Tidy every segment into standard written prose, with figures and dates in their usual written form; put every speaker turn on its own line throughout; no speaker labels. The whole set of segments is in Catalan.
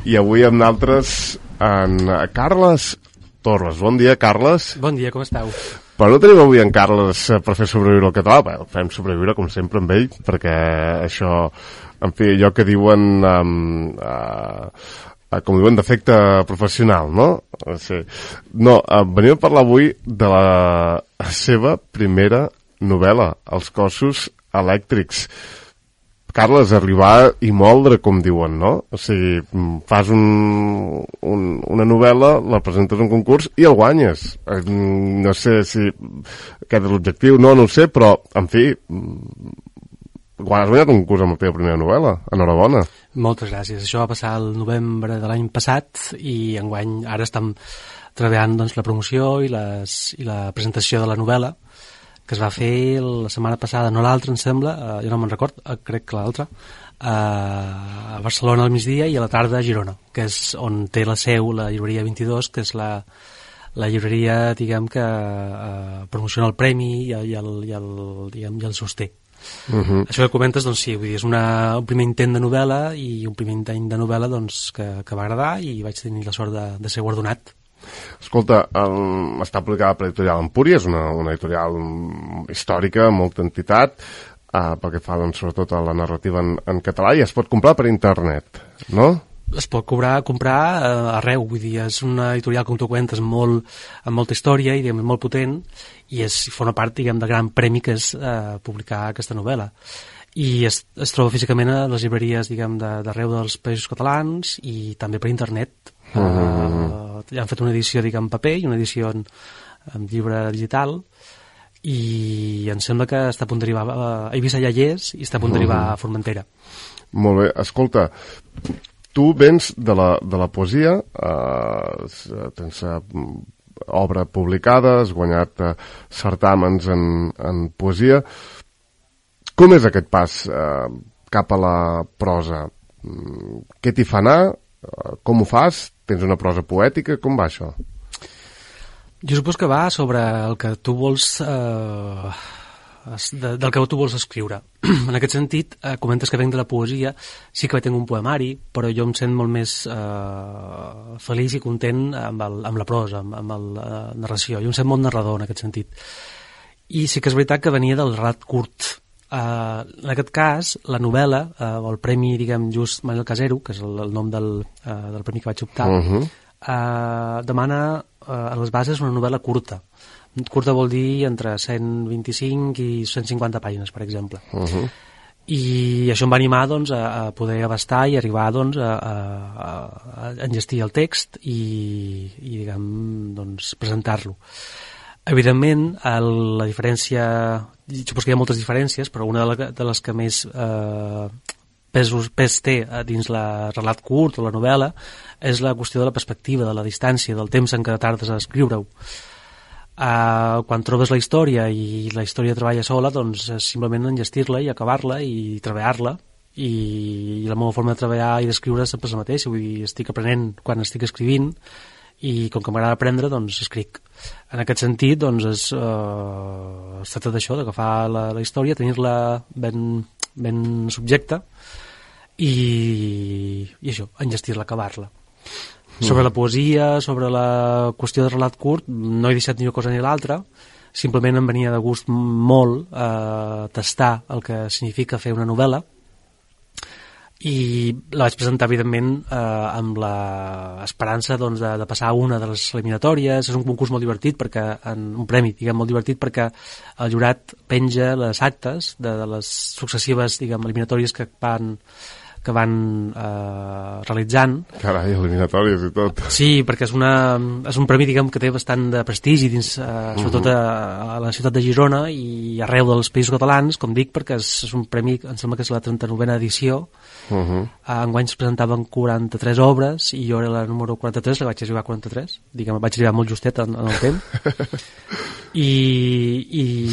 I avui amb nosaltres en Carles Torres. Bon dia, Carles.
Bon dia, com esteu?
Però no tenim avui en Carles per fer sobreviure el català. Bé, fem sobreviure, com sempre, amb ell, perquè això, en fi, allò que diuen, com diuen, d'efecte professional, no? Sí. No, venim a parlar avui de la seva primera novel·la, Els cossos elèctrics. Carles, arribar i moldre, com diuen, no? O sigui, fas una novel·la, la presentes a un concurs i el guanyes. No sé si aquest és l'objectiu, no ho sé, però, en fi, has guanyat un concurs amb la teva primera novel·la. Enhorabona.
Moltes gràcies. Això va passar el novembre de l'any passat i enguany ara estem treballant doncs, la promoció i la presentació de la novel·la, que es va fer la setmana passada, no l'altra, em sembla, jo no me'n record, crec que l'altra, a Barcelona al migdia i a la tarda a Girona, que és on té la seu la llibreria 22, que és la llibreria, diguem, que promociona el premi i el sosté. Això que comentes, doncs sí, vull dir, és un primer intent de novel·la i un primer intent de novel·la doncs, que va agradar i vaig tenir la sort de ser guardonat.
Escolta, està publicada per l'editorial Empúria, és una editorial històrica, amb molta entitat, pel que fa doncs, sobretot a la narrativa en català, i es pot comprar per internet, no?
Es pot comprar arreu, vull dir, és una editorial, com tu comentes, amb molta història i diguem, molt potent, i forma part, diguem, del gran premi que és publicar aquesta novel·la. I es troba físicament a les llibreries, diguem, d'arreu dels països catalans i també per internet. Ja han fet una edició, diguem, en paper i una edició en llibre digital, i em sembla que està a punt d'arribar a Eivissa ja hi és i està a punt d'arribar a Formentera.
Molt bé, escolta, tu vens de la poesia, tens obra publicada, has guanyat certàmens en poesia. Com és aquest pas cap a la prosa? Què t'hi fa anar? Com ho fas? Tens una prosa poètica? Com va això?
Jo supos que va sobre el que tu vols del que tu vols escriure. En aquest sentit, comentes que venc de la poesia, sí que tinc un poemari, però jo em sent molt més feliç i content amb la prosa, amb la narració. Jo em sent molt narrador en aquest sentit. I sí que és veritat que venia del relat curt. En aquest cas, la novel·la, o el premi, diguem, just Manel Casero, que és el nom del premi que vaig optar, demana a les bases una novel·la curta. Curta vol dir entre 125 i 150 pàgines, per exemple. I això em va animar doncs, a poder abastar i arribar doncs, a enllestir el text i diguem, doncs, presentar-lo. Evidentment, la diferència, supos que hi ha moltes diferències, però una de les que més pes té dins el relat curt o la novel·la és la qüestió de la perspectiva, de la distància, del temps en què tardes a escriure-ho. Quan trobes la història i la història treballa sola, doncs és simplement enllestir-la i acabar-la i treballar-la, i la meva forma de treballar i d'escriure sempre és la mateixa, vull dir, estic aprenent quan estic escrivint i com que m'agrada aprendre, doncs escric. En aquest sentit, doncs es tracta d'això, d'agafar la història, tenir-la ben subjecta i això, enllestir-la, acabar-la. Sobre la poesia, sobre la qüestió de relat curt, no he deixat ni una cosa ni l'altra, simplement em venia de gust molt tastar el que significa fer una novel·la, i la vaig presentar evidentment amb l'esperança doncs, de passar una de les eliminatòries. És un concurs molt divertit, un premi diguem, molt divertit, perquè el jurat penja les actes de les successives diguem, eliminatòries que van realitzant.
Carai, eliminatòries i tot.
Sí, perquè és un premi diguem, que té bastant de prestigi dins, sobretot a la ciutat de Girona i arreu dels països catalans, com dic, perquè és un premi, em sembla que és la 39a edició. Enguany es presentaven 43 obres i jo era la número 43, la vaig arribar a 43, diguem, vaig arribar molt justet en el temps.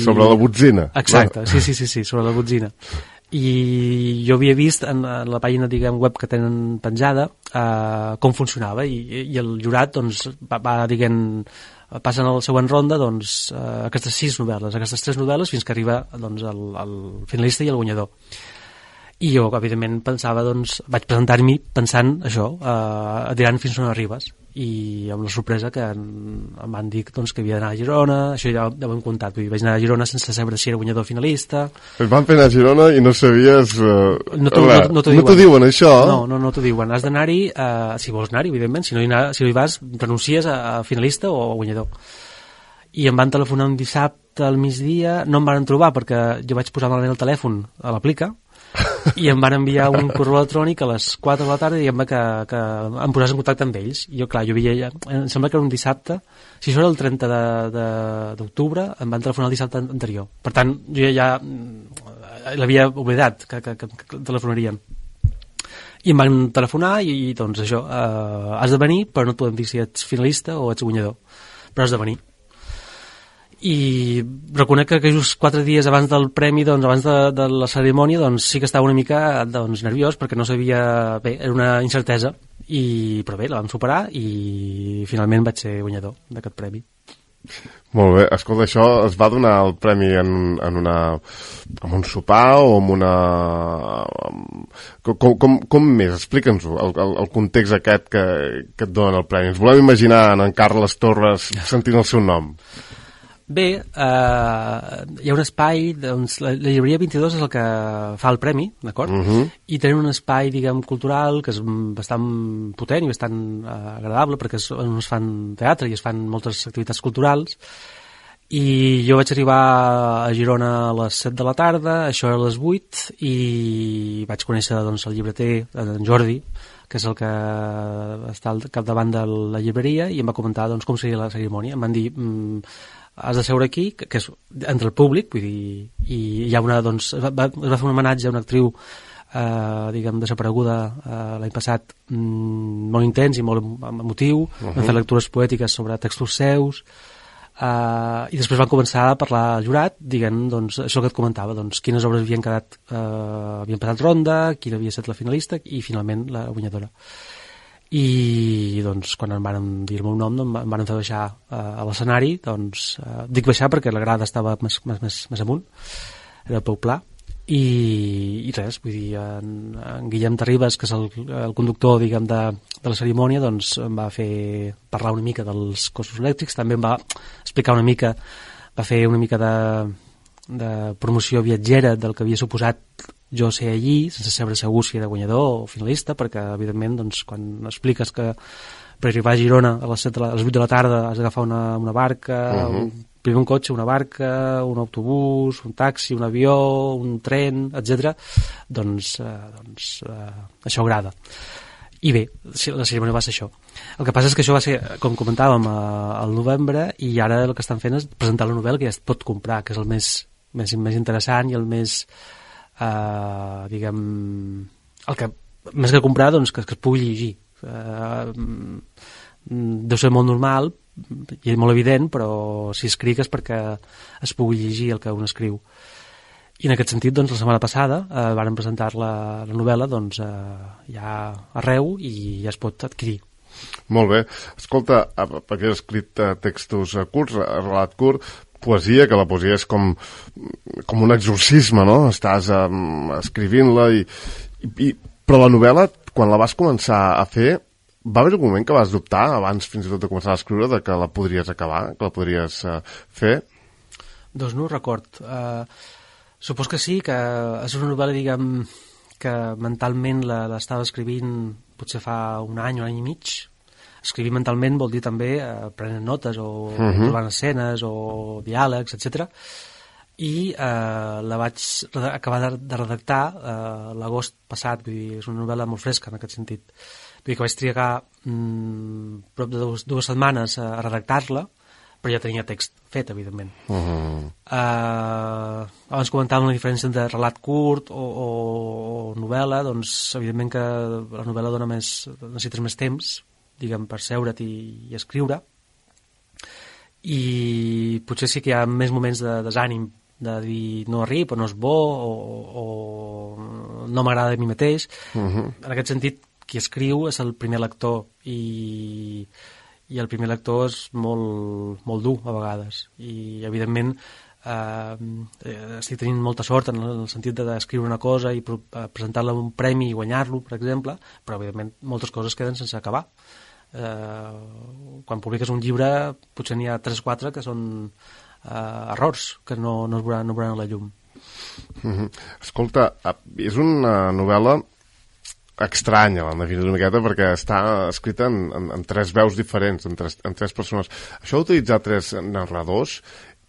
Sobre la botzina.
Exacte, sí, sobre la botzina. I jo havia vist en la pàgina diguem, web que tenen penjada com funcionava i el jurat doncs, va diguem, passen a la següent ronda doncs, aquestes 6 novel·les, aquestes 3 novel·les fins que arriba doncs, el finalista i el guanyador. I jo, evidentment, pensava, doncs, vaig presentar-m'hi pensant això, atirant fins on arribes. I amb la sorpresa que em van dir doncs, que havia d'anar a Girona, això ja ho hem contat, vull dir, vaig anar a Girona sense saber si era guanyador finalista.
Et van fer anar a Girona i no sabies...
No t'ho
diuen, això?
No t'ho diuen, has d'anar-hi, si vols anar-hi, evidentment, si no hi vas, renuncies a finalista o a guanyador. I em van telefonar un dissabte al migdia, no em van trobar perquè jo vaig posar malament el telèfon a l'aplica, i em van enviar un correu electrònic a les 4 de la tarda dient-me que em posés en contacte amb ells. I jo, clar, jo havia ja... Em sembla que era un dissabte, si això era el 30 d'octubre, em van telefonar el dissabte anterior. Per tant, jo ja l'havia oblidat que telefonarien. I em van telefonar i doncs això, has de venir, però no et podem dir si ets finalista o ets guanyador, però has de venir. I reconec que just 4 dies abans del premi, doncs, abans de la cerimònia, doncs sí que estava una mica doncs, nerviós perquè no sabia... Bé, era una incertesa, però bé, la vam superar i finalment vaig ser guanyador d'aquest premi.
Molt bé, escolta, això es va donar el premi en un sopar o en una... Com més? Explica'ns-ho, el context aquest que et donen el premi. Ens volem imaginar en Carles Torres sentint el seu nom.
Bé, hi ha un espai, doncs, la llibreria 22 és el que fa el premi, d'acord? I tenen un espai, diguem, cultural que és bastant potent i bastant agradable perquè on es fan teatre i es fan moltes activitats culturals. I jo vaig arribar a Girona a les 7 de la tarda, això era a les 8, i vaig conèixer doncs, el llibreter, en Jordi, que és el que està al capdavant de la llibreria, i em va comentar doncs, com seria la cerimònia. Em van dir... has de seure aquí, que és entre el públic, vull dir, i hi ha una, doncs, es va fer un homenatge a una actriu diguem, desapareguda l'any passat, molt intens i molt emotiu, van fer lectures poètiques sobre textos seus, i després van començar a parlar al jurat, diguem, doncs, això que et comentava, doncs, quines obres havien quedat, havien passat ronda, quina havia estat la finalista i finalment la guanyadora. I doncs quan em van dir el meu nom em van fer baixar a l'escenari, doncs dic baixar perquè la grada estava més amunt, era el peu pla, i res, vull dir, en Guillem Terribas, que és el conductor, diguem, de la cerimònia, doncs em va fer parlar una mica dels cossos elèctrics, també em va explicar una mica, va fer una mica de promoció viatgera del que havia suposat jo ser allí, sense saber segur si era guanyador o finalista, perquè evidentment doncs, quan expliques que per arribar a Girona a les 8 de la tarda has d'agafar una barca, primer un cotxe, una barca, un autobús, un taxi, un avió, un tren, etc. Doncs això agrada. I bé, la cerimònia va ser això. El que passa és que això va ser, com comentàvem, al novembre, i ara el que estan fent és presentar la novel·la que ja es pot comprar, que és el més interessant i el més... diguem, el que més que comprar, doncs que es pugui llegir. Deu ser molt normal i molt evident, però si escric és perquè es pugui llegir el que un escriu. I en aquest sentit, doncs, la setmana passada varen presentar la novel·la doncs, ja arreu i ja es pot adquirir.
Molt bé. Escolta, perquè has escrit textos curts, relat curt, poesia, que la poesia és com un exorcisme, no? Estàs escrivint-la però la novel·la, quan la vas començar a fer, va haver un moment que vas dubtar, abans fins i tot de començar a escriure, de que la podries acabar, que la podries fer?
Doncs no ho record. Supos que sí, que és una novel·la, diguem, que mentalment l'estava escrivint potser fa un any i mig. Escrivir mentalment vol dir també prenent notes o trobant escenes o diàlegs, etc. I la vaig acabar de redactar l'agost passat, vull dir, és una novel·la molt fresca en aquest sentit. Vull dir que vaig trigar prop de dues setmanes a redactar-la, però ja tenia text fet, evidentment. Abans comentàvem la diferència entre relat curt o novel·la, doncs evidentment que la novel·la necessites més temps, diguem, per seure't i escriure, i potser sí que hi ha més moments de desànim, de dir no arribo, no és bo, o no m'agrada a mi mateix. En aquest sentit, qui escriu és el primer lector, i el primer lector és molt dur a vegades, i evidentment estic tenint molta sort en el sentit d'escriure una cosa i presentar-la un premi i guanyar-lo, per exemple, però evidentment moltes coses queden sense acabar. Quan publiques un llibre potser n'hi ha 3 o 4 que són errors que no es veuran a la llum.
Escolta, és una novel·la estranya, la definir una miqueta, perquè està escrita en 3 veus diferents, en 3 persones. Això d'utilitzar 3 narradors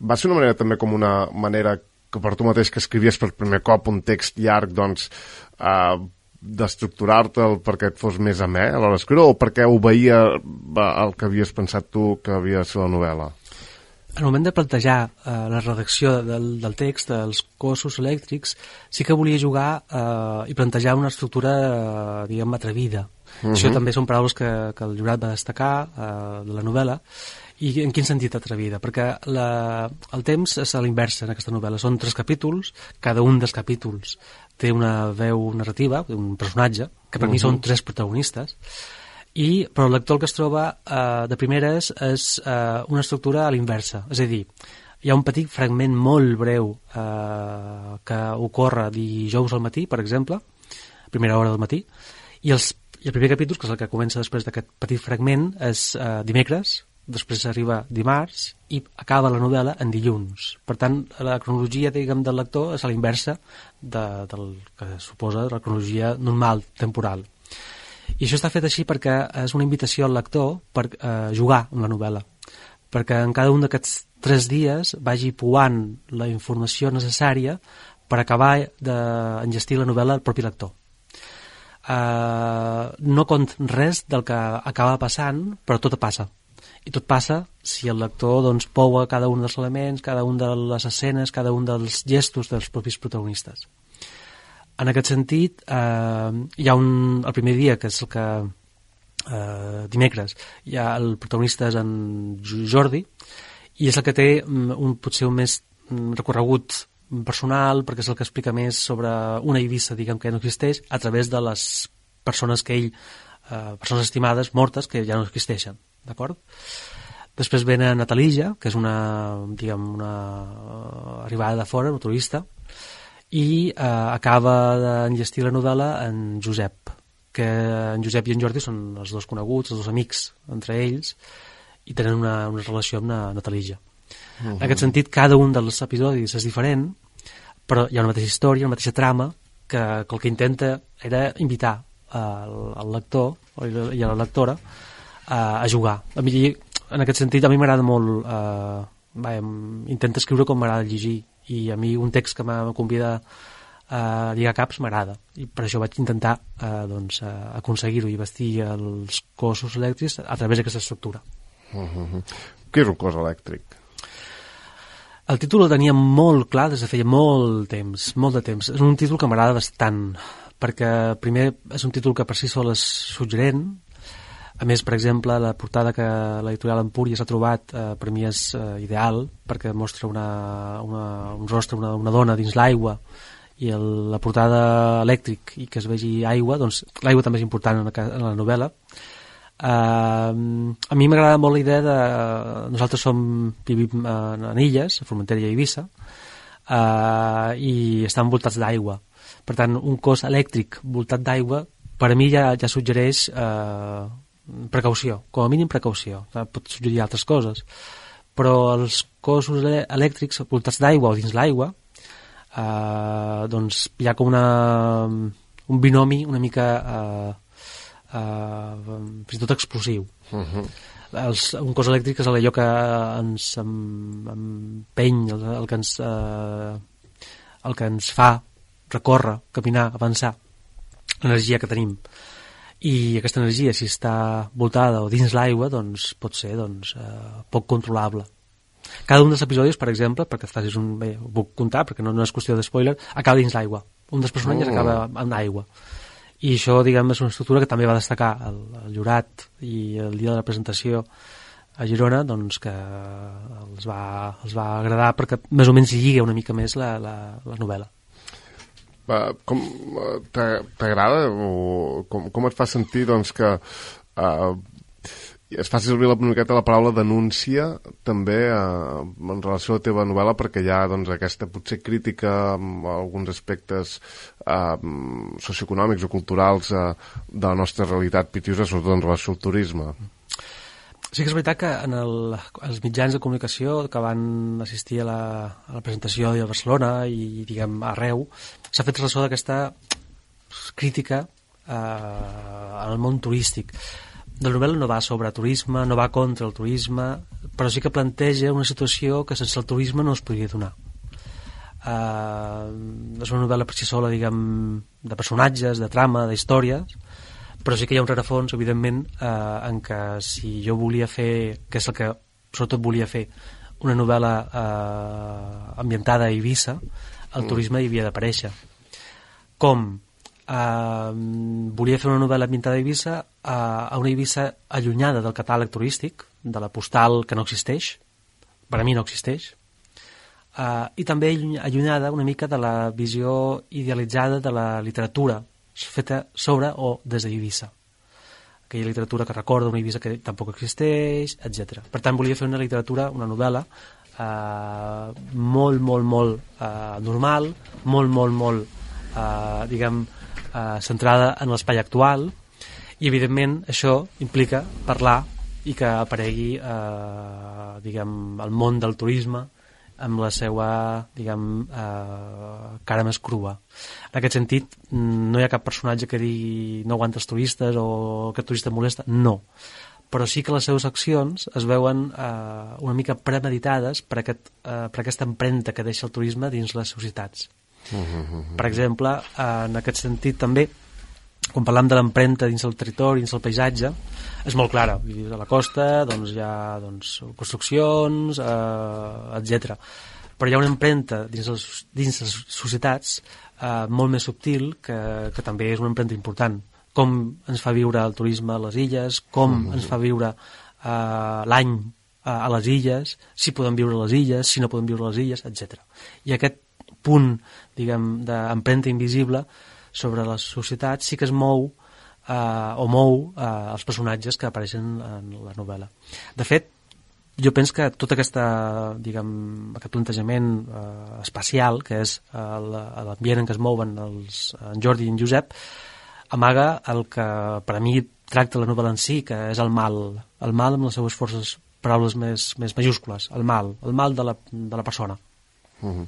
va ser una manera també com una manera que per tu mateix que escrivies per primer cop un text llarg, doncs, d'estructurar-te'l perquè et fos més amè a l'hora d'escriure, o perquè obeïa el que havies pensat tu que havia de ser la novel·la?
Al moment de plantejar la redacció del text, dels cossos elèctrics, sí que volia jugar i plantejar una estructura, diguem, atrevida. Això també són paraules que el jurat va destacar de la novel·la. I en quin sentit atrevida? Perquè el temps és a l'inversa en aquesta novel·la. Són 3 capítols, cada un dels capítols té una veu narrativa, un personatge, que per mi són 3 protagonistes, però el lector el que es troba de primeres és una estructura a l'inversa, és a dir, hi ha un petit fragment molt breu que ocorre dijous al matí, per exemple, a primera hora del matí, i el primer capítol, que és el que comença després d'aquest petit fragment, és dimecres, després arriba dimarts i acaba la novel·la en dilluns. Per tant, la cronologia, diguem, del lector és a l'inversa del que suposa la cronologia normal, temporal. I això està fet així perquè és una invitació al lector per jugar amb la novel·la, perquè en cada un d'aquests 3 dies vagi pouant la informació necessària per acabar d'enllestir la novel·la al propi lector. No cont res del que acaba passant, però tot passa. I tot passa si el lector doncs, poua cada un dels elements, cada un de les escenes, cada un dels gestos dels propis protagonistes. En aquest sentit, hi ha el primer dia, que és el que dimecres, el protagonista és en Jordi, i és el que té potser un més recorregut personal, perquè és el que explica més sobre una Eivissa, diguem, que no existeix, a través de les persones que ell, persones estimades, mortes, que ja no existeixen, d'acord? Després ve Natalija, que és una arribada de fora, una turista, i acaba d'enllestir la novel·la en Josep, que en Josep i en Jordi són els 2 coneguts, els 2 amics entre ells, i tenen una relació amb Natalija. En aquest sentit, cada un dels episodis és diferent, però hi ha una mateixa història, una mateixa trama, que el que intenta era invitar el lector i a la lectora a jugar. A mi, en aquest sentit, a mi m'agrada molt intento escriure com m'agrada llegir, i a mi un text que me convida a lligar caps m'agrada, i per això vaig intentar aconseguir-ho i vestir els cossos elèctrics a través d'aquesta estructura.
Què és un cos elèctric?
El títol el tenia molt clar des de feia molt de temps. És un títol que m'agrada bastant, perquè primer és un títol que per si sol és suggerent. A més, per exemple, la portada que l'editorial Empúries ha trobat per mi és ideal, perquè mostra un rostre, una dona dins l'aigua, i la portada elèctric i que es vegi aigua, doncs l'aigua també és important en la novel·la. A mi m'agrada molt la idea de... Nosaltres vivim en illes, a Formentera i a Eivissa, i estan envoltats d'aigua. Per tant, un cos elèctric voltat d'aigua, per a mi ja suggereix precaució, com a mínim precaució. Pot suggerir altres coses, però els cossos elèctrics voltats d'aigua o dins l'aigua doncs hi ha com un binomi una mica fins i tot explosiu. Un cos elèctric és allò que ens empeny, el que ens fa recórrer, caminar, avançar, l'energia que tenim. I aquesta energia, si està voltada o dins l'aigua, doncs pot ser poc controlable. Cada un dels episodis, per exemple, perquè et facis bé, ho puc contar perquè no és qüestió de spoiler, acaba dins l'aigua. Un dels personatges acaba en aigua. I això, diguem, és una estructura que també va destacar el jurat, i el dia de la presentació a Girona, doncs que els va agradar perquè més o menys lliga una mica més la novel·la.
Com t'agrada o com et fa sentir doncs que es fa servir una miqueta la paraula denúncia també en relació a la teva novel·la, perquè hi ha doncs, aquesta potser crítica amb alguns aspectes socioeconòmics o culturals de la nostra realitat pitiusa, sobretot en relació al turisme.
Sí que és veritat que en els mitjans de comunicació que van assistir a la presentació a Barcelona i diguem arreu, s'ha fet ressò d'aquesta crítica al món turístic. La novel·la no va sobre turisme, no va contra el turisme, però sí que planteja una situació que sense el turisme no es podria donar. És una novel·la per si sola, diguem, de personatges, de trama, d'històries, però sí que hi ha un rerefons, evidentment, en què si jo volia fer, que és el que sobretot volia fer, una novel·la ambientada a Eivissa, el turisme hi havia d'aparèixer. Com? Volia fer una novel·la ambientada a Eivissa, a una Eivissa allunyada del catàleg turístic, de la postal que no existeix, per a mi no existeix, i també allunyada una mica de la visió idealitzada de la literatura feta sobre o des d'Eivissa, aquella literatura que recorda una Eivissa que tampoc existeix, etc. Per tant, volia fer una literatura, una novel·la molt, molt, molt normal, molt, molt, molt diguem, centrada en l'espai actual, i evidentment això implica parlar i que aparegui diguem, el món del turisme amb la seva diguem, cara més crua. En aquest sentit, no hi ha cap personatge que digui no aguanta els turistes o aquest turista molesta, no. Però sí que les seves accions es veuen una mica premeditades per aquesta empremta que deixa el turisme dins les societats. Per exemple, en aquest sentit també, quan parlam de l'empremta dins el territori, dins el paisatge, és molt clara. A la costa doncs, hi ha construccions, etc. Però hi ha una empremta dins les societats molt més subtil que també és una empremta important. Com ens fa viure el turisme a les illes, com ens fa viure l'any a les illes, si podem viure a les illes, si no podem viure a les illes, etc. I aquest punt, diguem, d'empremta invisible sobre les societats sí que es mou o mou els personatges que apareixen en la novel·la. De fet, jo penso que tot diguem, aquest plantejament espacial, que és l'ambient en què es mouen en Jordi i en Josep, amaga el que per a mi tracta la novel·la en si, que és el mal amb les seues forces, paraules més majúscules, el mal de la persona.
En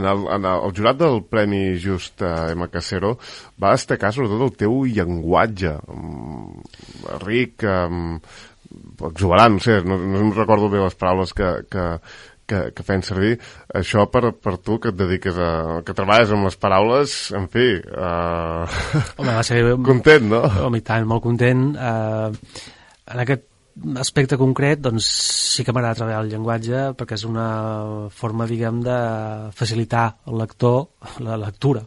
el jurat del Premi Just M. Casero va destacar sobretot el teu llenguatge ric, exuberant, no sé, no em recordo bé les paraules que feien servir. Això per tu que et dediques que treballes amb les paraules, en fi,
home, va ser
content, no?
Home, i tant, molt content. En aquest aspecte concret, doncs sí que m'agrada treballar el llenguatge perquè és una forma, diguem, de facilitar al lector la lectura.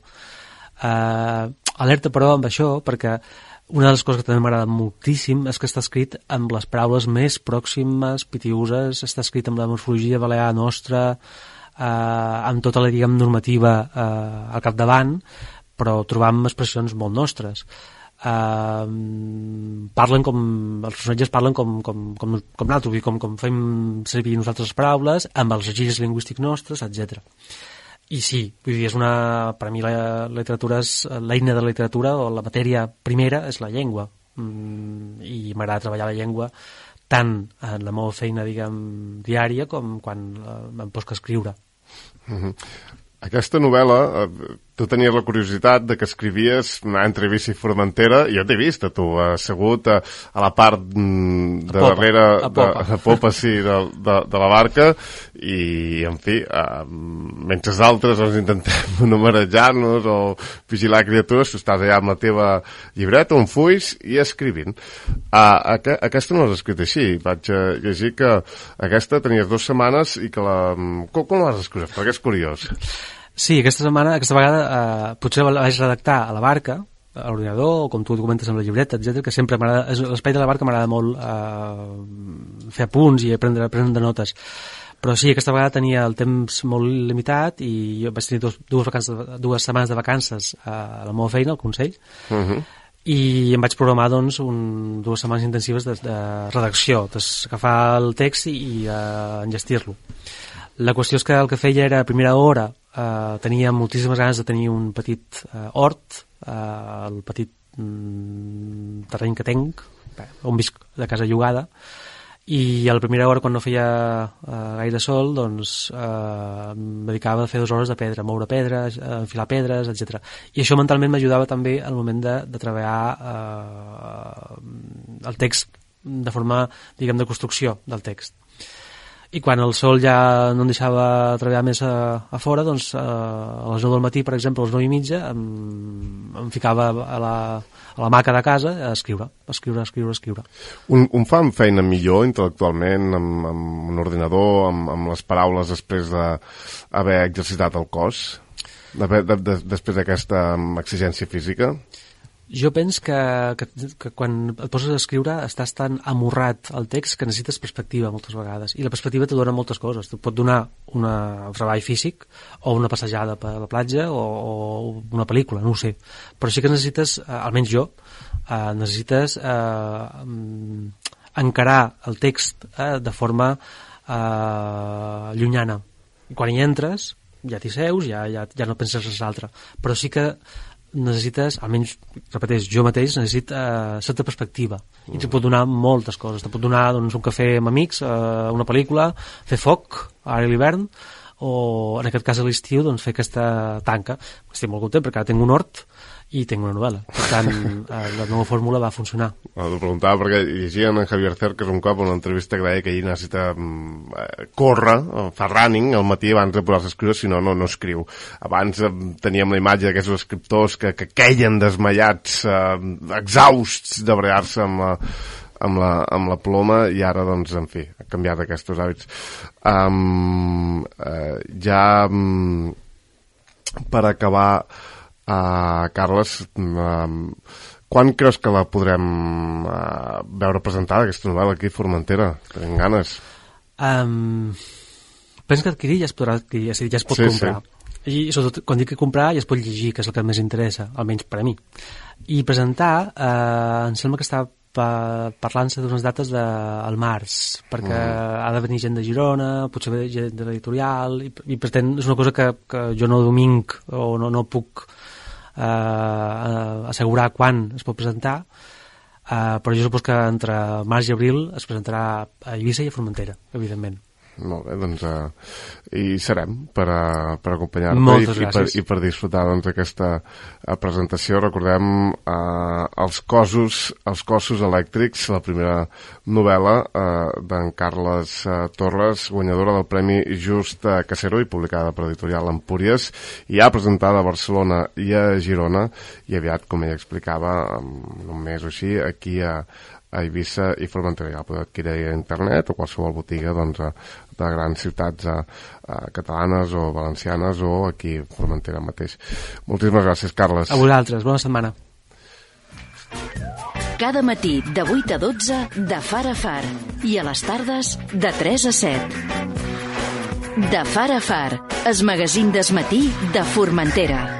Alerta, però, amb això, perquè una de les coses que també m'agrada moltíssim és que està escrit amb les paraules més pròximes, pitiuses, està escrit amb la morfologia balear nostra, amb tota la, diguem, normativa al capdavant, però trobam expressions molt nostres. Parlen els personatges parlen com nosaltres, com fem servir nosaltres les paraules, amb els registres lingüístics nostres, etc. I sí, vull dir, per a mi la literatura és l'eina de la literatura, o la matèria primera és la llengua, i m'agrada treballar la llengua tant en la meva feina, diguem, diària, com quan em poso a escriure.
Aquesta novel·la, tu tenies la curiositat de que escrivies entre Eivissa i Formentera, i jo t'he vist, tu assegut a la part de darrere, a popa, sí, de la barca, i, en fi, mentre d'altres ens intentem numerejar-nos o vigilar criatures, tu estàs allà amb la teva llibreta, un fulls, i escrivint. Aquesta no l'has escrit així, vaig llegir que aquesta tenies 2 setmanes i que com l'has escrit? Perquè és curiós.
Sí, aquesta vegada potser la vaig redactar a la barca, a l'ordinador, o com tu comentes amb la llibreta, etc, que sempre m'agrada, l'espai de la barca m'agrada molt fer apunts i prendre notes. Però sí, aquesta vegada tenia el temps molt limitat i jo vaig tenir dues setmanes de vacances a la meva feina, al Consell, i em vaig programar doncs, 2 setmanes intensives de redacció, d'agafar el text i enllestir-lo. La qüestió és que el que feia era, a primera hora, tenia moltíssimes ganes de tenir un petit hort, el petit terreny que tenc, on visc de casa llogada, i a la primera hora, quan no feia gaire sol, doncs em dedicava a fer 2 hores de pedra, moure pedres, enfilar pedres, etc. I això mentalment m'ajudava també al moment de treballar el text de forma, diguem, de construcció del text. I quan el sol ja no em deixava treballar més a fora, doncs a les 9 del matí, per exemple, a les 9:30 em ficava a la maca de casa a escriure. Un
fa feina millor intel·lectualment amb un ordinador, amb les paraules després d'haver exercitat el cos, després d'aquesta exigència física?
Jo penso que quan et poses a escriure estàs tan amorrat al text que necessites perspectiva moltes vegades, i la perspectiva te dona moltes coses. Et pot donar un treball físic o una passejada per la platja o una pel·lícula, no ho sé, però sí que necessites, almenys jo, necessites encarar el text de forma llunyana. I quan hi entres ja t'hi seus, ja no penses res altre, però sí que necessites, almenys, repeteix, jo mateix necessito certa perspectiva, i te pot donar moltes coses. Te pot donar doncs, un cafè amb amics, una pel·lícula, fer foc ara a l'hivern, o en aquest cas a l'estiu doncs, fer aquesta tanca. Estic molt content perquè ara tinc un hort i tinc una novel·la, per tant la nova fórmula va funcionar.
T'ho preguntava perquè llegia en Javier Cercas un cop una entrevista que deia que ell necessita córrer, fa running al matí abans de posar-se a escriure, si no, no escriu. Abans teníem la imatge d'aquests escriptors que queien desmaiats, exhausts de bregar-se amb la ploma, i ara, doncs, en fi, ha canviat aquests hàbits. Per acabar, Carles, quan creus que la podrem veure presentada, aquesta novel·la, aquí a Formentera? Tenim ganes.
Penso que adquirir ja es podrà adquirir, és a dir, ja es pot comprar. Sí. I sobretot, quan dic que comprar, ja es pot llegir, que és el que més interessa, almenys per a mi. I presentar, em sembla que està parlant-se d'unes dates al març, perquè ha de venir gent de Girona, potser ve gent de l'editorial, i per tant és una cosa que jo no dominc o no puc assegurar quan es pot presentar, però jo supos que entre març i abril es presentarà a Eivissa i a Formentera, evidentment.
Molt bé, doncs hi serem per acompanyar-te i per disfrutar d'aquesta presentació. Recordem els cossos elèctrics, la primera novel·la d'en Carles Torres, guanyadora del Premi Just Casero i publicada per Editorial Empúries, i ja presentada a Barcelona i a Girona, i aviat, com ella explicava, en un mes o així, aquí a Eivissa i Formentera. Ja la podeu adquirir a internet o qualsevol botiga de grans ciutats catalanes o valencianes, o aquí a Formentera mateix. Moltíssimes gràcies, Carles.
A vosaltres, bona setmana.
Cada matí de 8 a 12 de Far a Far, i a les tardes de 3 a 7. De Far a Far, el magazín del matí de Formentera.